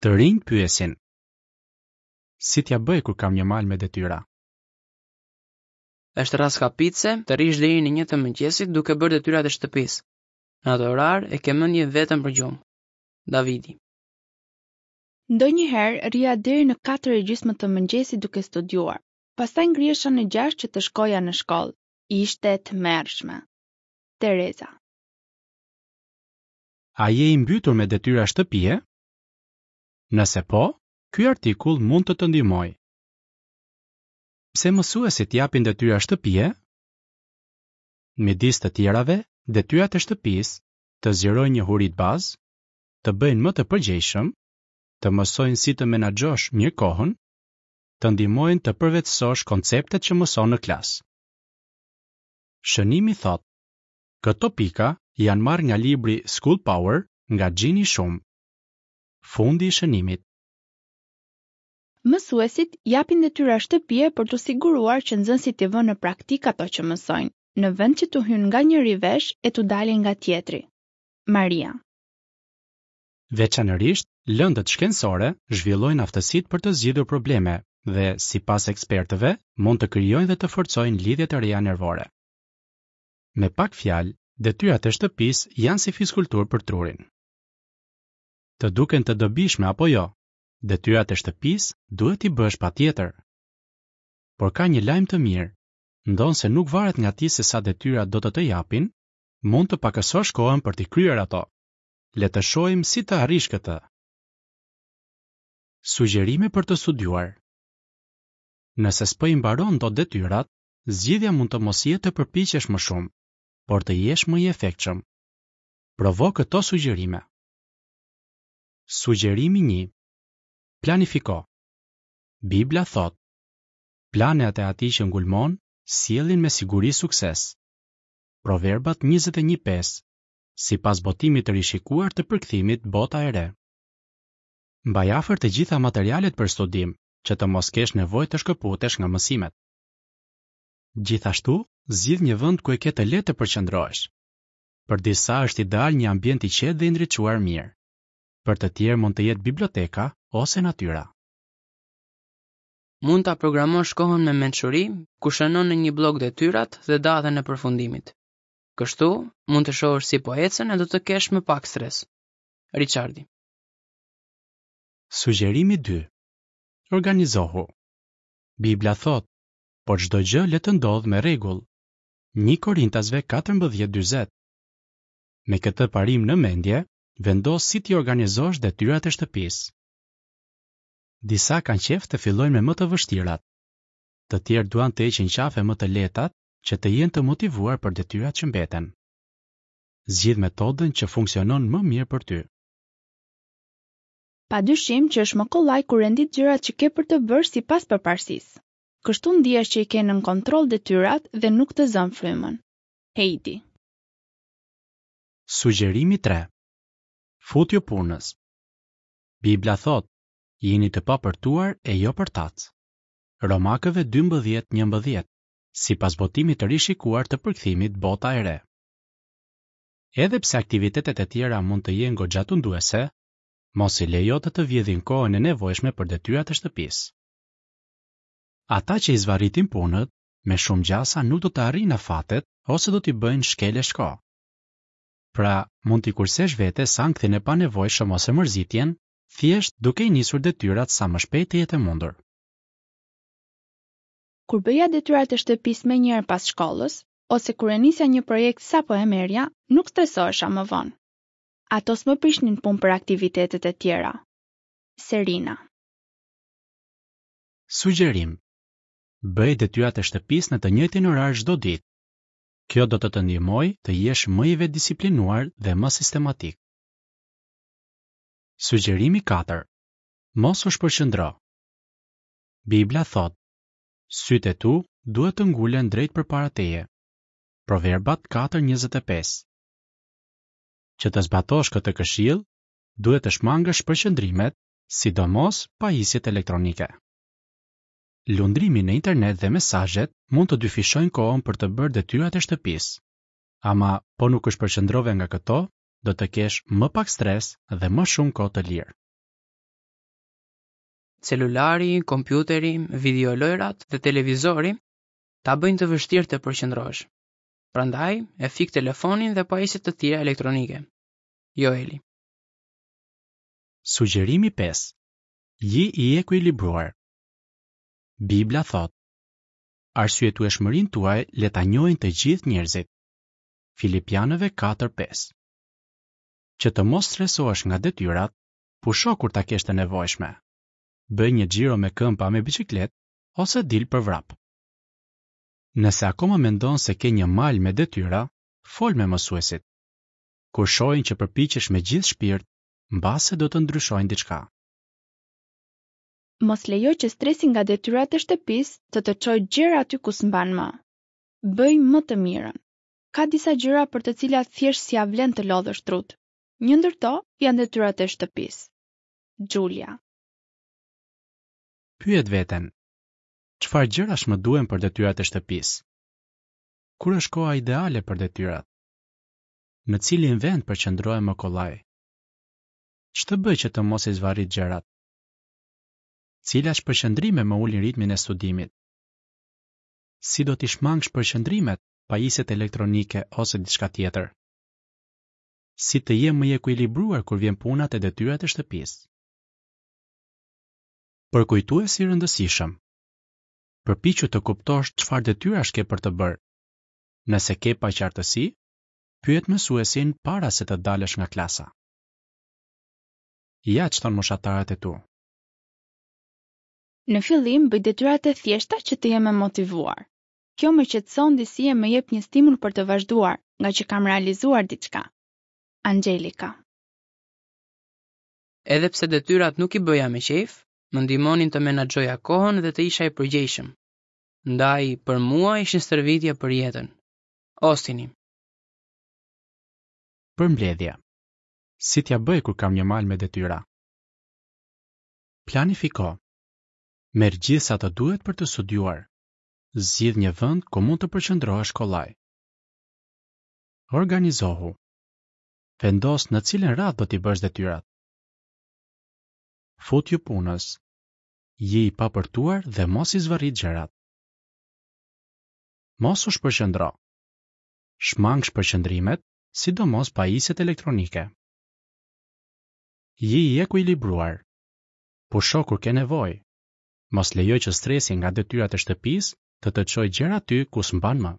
Të rinjtë pyesin. Si t'ia bëj kur kam një mal me detyra? Është rraskapitëse të rrish deri në një të mëngjesit duke bërë detyrat e shtëpisë. Në atë orar e ke mendjen vetëm për gjumë. Davidi. Ndonjëherë rrija deri në katër e gjysmë të mëngjesit duke studiuar. Pastaj ngrihesha në gjashtë që të shkoja në shkollë. Ishte e tmerrshme. Tereza. A je i mbytur me detyra shtëpie? Nëse po, ky artikull mund të të ndihmojë. Pse mësuesit japin detyra shtëpie? Midis të tjerave, detyrat e shtëpisë të zgjerojnë njohuritë bazë, të bëjnë më të përgjegjshëm, të mësojnë si të menaxhosh mirë kohën, të ndihmojnë të përvetësosh konceptet që mëson në klasë. Shënimi thotë, këto pika janë marrë nga libri School Power nga Jeannie Shum. Fundi i shënimit. Mësuesit japin detyra shtëpie për t'u siguruar që nxënësit t'i vënë në praktikë ato që mësojnë, në vend që t'u hyjnë nga njëri vesh e t'u dalin nga tjetri. Maria. Veçanërisht, lëndët shkencore zhvillojnë aftësitë për të zgjidhur probleme dhe, sipas ekspertëve, mund të krijojnë dhe të forcojnë lidhje të reja nervore. Me pak fjalë, detyrat e shtëpisë janë si fizkulturë për trurin. Të duken të dobishme apo jo, detyrat e shtëpisë duhet t'i bësh patjetër. Por ka një lajm të mirë, ndonëse nuk varet nga ti se sa detyra do të të japin, mund të pakësosh kohën për t'i kryer ato. Le të shohim si ta arrish këtë. Sugjerime për të studiuar. Nëse s'po i mbaron dot detyrat, zgjidhja mund të mos jetë të përpiqesh më shumë, por të jesh më i efektshëm. Provo këto sugjerime. Sugjerimi 1. Planifiko. Bibla thotë: Planet e atij që ngulmon sjellin me siguri sukses. Proverbat 21:5, sipas botimit të rishikuar të përkthimit Bota e Re. Mbaj afër të gjitha materialet për studim, që të mos kesh nevojë të shkëputesh nga mësimet. Gjithashtu, zgjidh një vend ku e ke të lehtë të përqendrohesh. Për disa është ideal një ambient i qetë dhe i ndriçuar mirë. Për të tjerë mund të jetë biblioteka ose natyra. Mund ta programosh kohën me mençuri, ku shënon në një bllok detyrat dhe datën e përfundimit. Kështu, mund të shohësh si po ecën e do të kesh më pak stres. Richardi. Sugjerimi 2. Organizohu. Bibla thotë, por çdo gjë le të ndodhë me rregull. Një Korintasve 14 40. Me këtë parim në mendje, vendos si t'i organizosh detyrat e shtëpisë. Disa kanë qejf të fillojnë me më të vështirat. Të tjerë duan të heqin qafe më të lehtat që të jenë të motivuar për detyrat që mbeten. Zgjidh metodën që funksionon më mirë për ty. Pa dyshim që është më kollaj kur rendit gjërat që ke për të bërë sipas përparësisë. Kështu ndihesh që i ke nën kontroll detyrat dhe nuk të zënë frymën. Heidi. Sugjerimi 3. Futju punës. Bibla thotë, jini të papërtuar e jo përtacë. Romakëve 12:11, sipas botimit të rishikuar të përkthimit Bota e Re. Edhe pse aktivitetet e tjera mund të jenë goxha tunduese, mos i lejo të të vjedhin kohën e nevojshme për detyrat e shtëpisë. Ata që i zvarritin punët, me shumë gjasa nuk do të arrijnë afatet ose do t'i bëjnë shkel e shko. Pra, mund t'i kursesh vetes ankthin e panevojshëm ose mërzitjen, thjesht duke i nisur detyrat sa më shpejt të jetë e mundur. Kur bëja detyrat e shtëpisë menjëherë pas shkollës, ose kur e nisja një projekt sapo e merrja, nuk stresohesha më vonë. Ato s'më prishnin punë për aktivitetet e tjera. Serina. Sugjerim, Bëj detyrat e shtëpisë në të njëjtin orar çdo ditë. Kjo do të të ndihmojë të jesh më i vetëdisiplinuar dhe më sistematik. Sugjerimi 4. Mos u shpërqendro. Bibla thotë, Sytë e tu duhet të ngulen drejt përpara teje. Proverbat 4:25. Që të zbatosh këtë këshillë, duhet të shmangësh shpërqendrimet, sidomos pajisjet elektronike. Lundrimi në internet dhe mesazhet mund të dyfishojnë kohën për të bërë detyrat e shtëpisë. Ama, po nuk u shpërqendrove nga këto, do të kesh më pak stres dhe më shumë kohë të lirë. Celulari, kompjuteri, videolojërat dhe televizori ta bëjnë të vështirë të përqendrohesh. Prandaj, e fik telefonin dhe pajisje të tjera elektronike. Joeli. Sugjerimi 5. Ji i ekuilibruar. Bibla thotë: Arsyetueshmërinë tuaj le ta njohin të gjithë njerëzit. Filipianëve 4:5. Që të mos stresohesh nga detyrat, pusho kur ta kesh të nevojshme. Bëj një xhiro me këmbë a me biçikletë ose dil për vrap. Nëse akoma mendon se ke një mal me detyra, fol me mësuesit. Kur shohin që përpiqesh me gjithë shpirt, mbase do të ndryshojnë diçka. Mos lejo që stresi nga detyrat e shtëpisë të të çojë gjer aty ku s'mban më. Bëj më të mirën. Ka disa gjëra për të cilat thjesht s'ia vlen të lodhësh trutë. Një ndër to janë detyrat e shtëpisë. Julia. Pyet veten, Çfarë gjërash më duhen për detyrat e shtëpisë? Kur është koha ideale për detyrat? Në cilin vend përqendrohem më kollaj? Ç'të bëj që të mos i zvarrit gjërat? Cilat shpërqendrime më ulin ritmin e studimit? Si do t'i shmang shpërqendrimet, pajisjet elektronike ose diçka tjetër? Si të jem më i ekuilibruar kur vjen puna te detyrat e shtëpisë? Përkujtues i rëndësishëm. Përpiqu të kuptosh çfarë detyrash ke për të bërë. Nëse ke paqartësi, pyet mësuesin para se të dalësh nga klasa. Ja ç'thonë moshatarët e tu. Në fillim bëj detyrat e thjeshta që të jem e motivuar. Kjo më qetëson disi e më jep një stimul për të vazhduar, ngaqë kam realizuar diçka. Anxhelika. Edhe pse detyrat nuk i bëja me qejf, më ndihmonin të menaxhoja kohën dhe të isha i përgjegjshëm. Ndaj, për mua ishin stërvitje për jetën. Ostini. Përmbledhje. Si t'ia bëj kur kam një mal me detyra? Planifiko. Merr gjithë sa të duhet për të studiuar. Zgjidh një vend ku mund të përqendrohesh kollaj. Organizohu. Vendos në cilën radhë do t'i bësh detyrat. Futju punës. Ji i papërtuar dhe mos i zvarrit gjërat. Mos u shpërqendro. Shmang shpërqendrimet, sidomos pajisjet elektronike. Ji i ekuilibruar. Pusho kur ke nevojë. Mos lejo që stresi nga detyrat e shtëpisë të të çojë gjer aty ku s'mban më.